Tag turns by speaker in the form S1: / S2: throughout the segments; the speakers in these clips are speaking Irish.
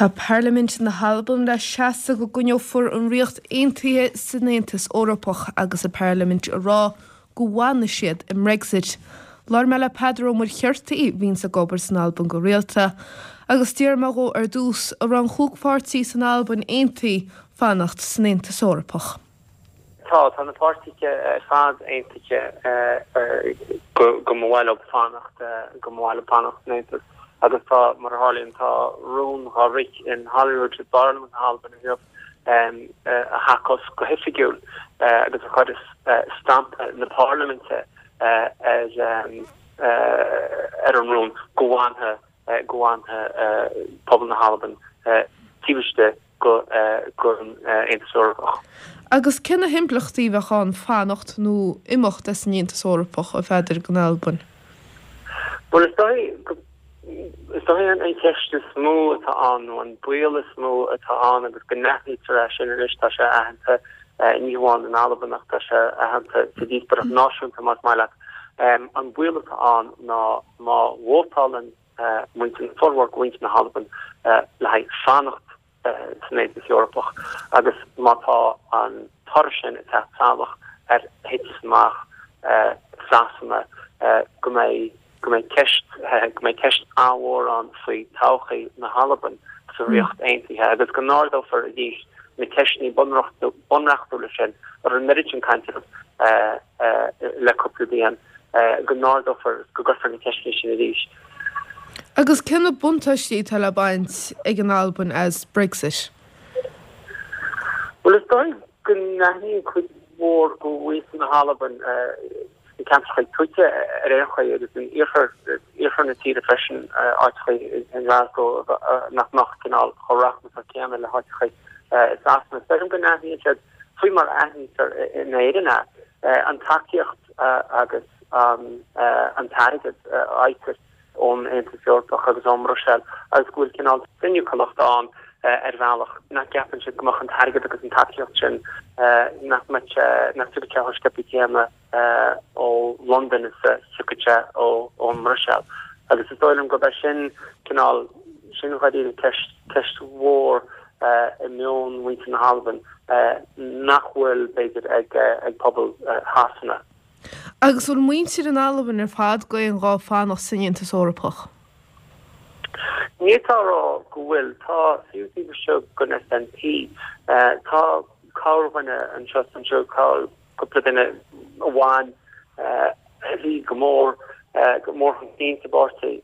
S1: Tá Parlaimint na hAlban le seasamh go gcoinneofar an Ríocht Aontaithe san Aontas Eorpach agus an Pharlaimint ag rá go bhfanfaidh siad i mBrexit. Labhair mé le Peadar Ó Muircheartaigh, a bhíonns ag obair san Albain go rialta, agus d'iarr mé dhó ar dtús an raibh an chúig pháirtí san Albain aontaithe fanacht san Aontas Eorpach.
S2: Tá, tá na páirtithe ar fad aontaithe go mba mhaith leo fanacht, go mba mhaith leo fanacht san Aontas agus tá, mar a tharlaíonn, tá rún dhá rith in Holyrood i bParlaimint na hAlban inniu a thacós go hoifigiúil agus a chuireas stampa na Parlaiminte ar ar an rún go bhfanfaidh go bhfanfaidh pobal na hAlban taobh istigh den Aontas Eorpach.
S1: Agus cé na himpleachtaí a bheadh ann fanacht nó imeacht as an Aontas Eorpach, a Pheadair, don Albain?
S2: Bhuel, is dóigh go, is dóigh an cheist is mó atá ann, nó an baol is mó atá ann agus go n-aithnítear é sin anois, tá sé aitheanta ní hamháin in Albain ach tá sé aitheanta sa díospóireacht náisiúnta más maith leat, an baol atá ann ná má vótálann muintir, formhór de mhuintir na hAlban le haghaidh fanacht san Aontas Eorpach agus má tá an toradh sin ag teacht salach ar thitim amach Sasana go mbeidh go mbeidh ceist go mbeidh ceist an-mhór ann faoi todhchaí na hAlban sa Ríocht Aontaithe agus go n-ardófar arís na ceisteanna bunreachtúla sin a raibh an oiread sin cainte orthu le cúpla bliain, go n-ardófar, go gcuirfear na ceisteanna sin arís.
S1: Agus cé na buntáistí atá le baint ag an Albain as Brexit?
S2: Bhuel, is dóigh go n-aithníonn cuid mhór de mhuintir na hAlban, sna ceantracha tuaithe ar aon chaoi agus in iarthar, iarthar na tíre freisin, áiteacha i nGlasgow nach mbeadh cineál chomh rachmasach céanna le háiteacha i Sasana. Is dóigh liom go n-aithníonn siad, faoi mar a aithnítear in Éirinn é, an tacaíocht agus an t-airgead a fhaightear ón Aontas Eorpach agus ón mBruiséil agus go bhfuil cineál soiniciúlacht ann ar bhealach nach gceapann siad go mbeadh an t-airgead agus an tacaíocht sin, nach mbeadh sé, nach dtiocfadh sé chomh sciobtha céanna ó Londain is a thiocfadh sé ón mBruiséil. Agus is dóigh liom gurb é sin cineál, sin dháiríre ceist, ceist mhór i meon mhuintir na hAlban nach bhfuil, b'fhéidir, ag pobal Shasana.
S1: Agus bhfuil muintir in Albain ar fad d'aon ghuth fanacht san Aontas Eorpach?
S2: Ní fhéadfá a rá go bhfuil. Tá, fiú taobh istigh den SNP, tá corrdhuine anseo is ansiúd, cúpla duine amháin a bhí go mór, go mór chun cinn sa bpáirtí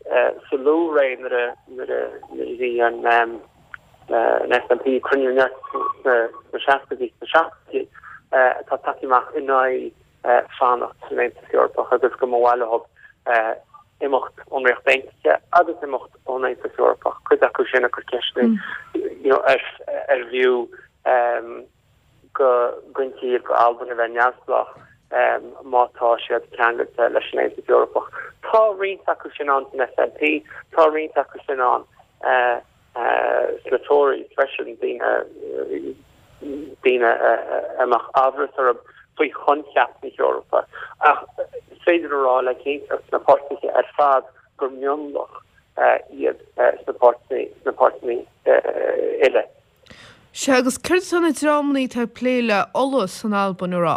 S2: sa luathré nuair a, nuair a bhí an SNP ag cruinniú neart sna seascaidí, sna seachtóidí, atá tagtha amach in aghaidh fanacht san Aontas Eorpach agus go mba mhaith leo imeacht ón Ríocht Aontaithe agus imeacht ón Aontas Eorpach, cuid acu sin ag cur ceisteanna you know ar ar bhfiú go gcoinnítear go Albain a bheith neamhspleách má tá siad ceangailte leis an Aontas Eorpach. Tá roinnt acu sin ann san SNP, tá roinnt acu sin ann sna Tories freisin, daoine daoine a mbeadh amhras orthu faoi choincheap na hEorpa. Ach is féidir a rá le cinnteacht sna páirtithe ar fad gur mionlach iad sna páirtithe uile.
S1: Sea, agus céard atá na dreamanna atá ag plé le Ola san Albain a rá?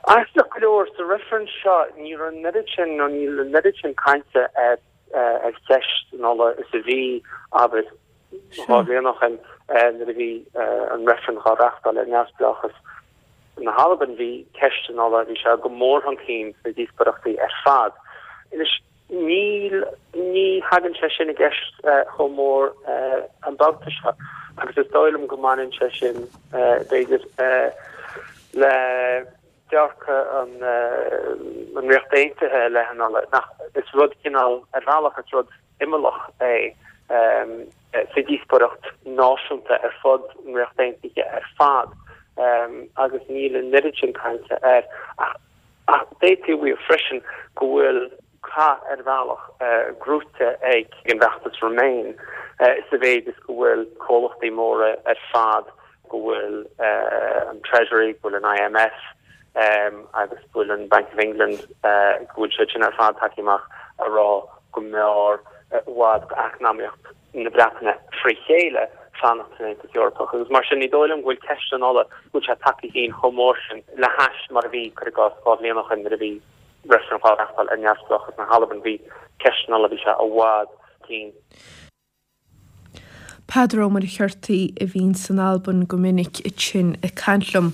S2: Aisteach go leor, sa reifreann seo ní raibh an oiread sin, nó níl an oiread sin cainte ar ar cheist an ola is a bhí, abair, 2 bhliain ó shin nuair a bhí an reifreann dhá reachtáil ar neamhspleáchas na hAlban, bhí ceist an ola, bhí sé go mór chun cinn sna díospóireachtaí ar fad. Anois, níl, ní thagann sé sin i gceist chomh mór an babhta seo agus is dóigh liom go mbaineann sé sin, b'fhéidir, le dearcadh an Ríocht Aontaithe i leith an ola, nach, is rud cineál, ar bhealach, is rud imeallach é sa díospóireacht náisiúnta ar fud an Ríocht Aontaithe ar fad agus níl an oiread sin cainte air. Ach d'fhéadfaí a mhaíomh freisin go bhfuil cath ar bhealach gnóite ag an bhfeachtas Remain sa mhéid is go bhfuil comhlachtaí móra ar fad, go bhfuil an Treasury, go bhfuil an IMF agus go bhfuil an Bank of England, go bhfuil siad sin ar fad tagtha amach a rá go mb'fhearr. i bhfad d'eacnamaíocht na Breataine fré chéile fanacht san Aontas Eorpach agus mar sin ní dóigh liom go bhfuil ceist an ola, go bhfuil sé tagtha chun cinn chomh mór sin le hais mar a bhí, cuir i gcás, 2 bhliain ó shin nuair a bhí reifreann á reachtáil ar neamhspleáchas na hAlban, bhí ceist an ola, bhí sé i bhfad chun cinn.
S1: Peadar Ó Muircheartaigh a bhíonn san Albain go minic ansin ag caint liom.